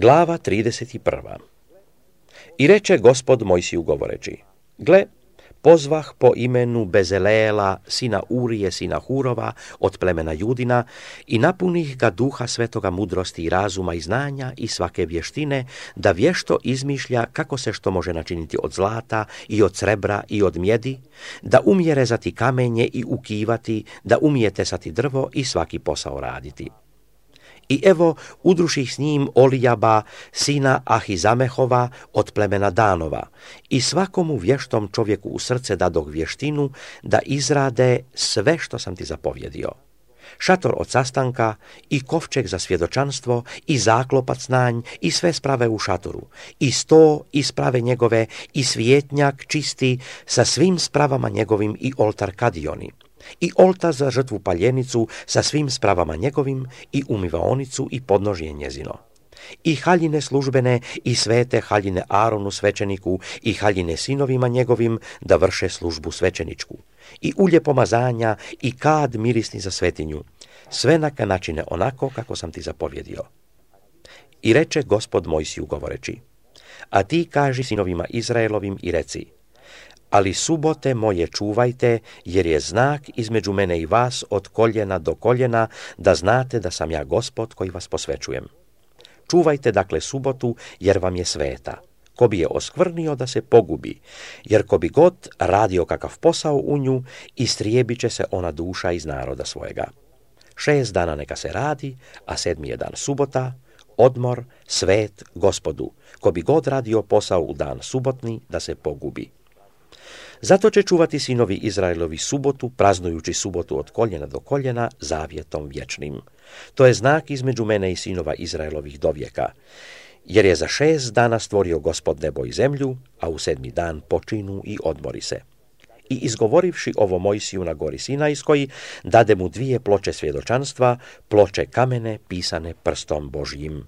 Glava 31. I reče Gospod Mojsiju govoreći: Gle, pozvah po imenu Bezeleela, sina Urije, sina Hurova, od plemena Judina, i napunih ga duha svetoga mudrosti i razuma i znanja i svake vještine, da vješto izmišlja kako se što može načiniti od zlata i od srebra i od mjedi, da umije rezati kamenje i ukivati, da umije tesati drvo i svaki posao raditi. I evo, udruših s njim Olijaba, sina Ahizamehova, od plemena Danova, i svakomu vještom čovjeku u srce dadoh vještinu da izrade sve što sam ti zapovjedio. Šator od sastanka, i kovčeg za svjedočanstvo, i zaklopac na nj, i sve sprave u šatoru, i sto i sprave njegove, i svijetnjak čisti sa svim spravama njegovim, i oltar kadioni, i oltar za žrtvu paljenicu sa svim spravama njegovim, i umivaonicu i podnožje njezino, i haljine službene i svete haljine Aronu svećeniku i haljine sinovima njegovim da vrše službu svećeničku, i ulje pomazanja i kad mirisni za svetinju, sve neka načine onako kako sam ti zapovjedio. I reče Gospod Mojsiju govoreći: A ti kaži sinovima Izraelovim i reci: Ali subote moje čuvajte, jer je znak između mene i vas od koljena do koljena, da znate da sam ja Gospod koji vas posvećujem. Čuvajte dakle subotu, jer vam je sveta. Ko bi je oskvrnio da se pogubi, jer ko bi god radio kakav posao u nju, istrijebit će se ona duša iz naroda svojega. 6 dana neka se radi, a 7. je dan subota, odmor, svet Gospodu. Ko bi god radio posao u dan subotni, da se pogubi. Zato će čuvati sinovi Izraelovi subotu, praznujući subotu od koljena do koljena, zavjetom vječnim. To je znak između mene i sinova Izraelovih dovijeka. Jer je za 6 dana stvorio Gospod nebo i zemlju, a u 7. dan počinu i odmori se. I izgovorivši ovo Mojsiju na gori Sinajskoj, dade mu 2 ploče svjedočanstva, ploče kamene pisane prstom Božjim.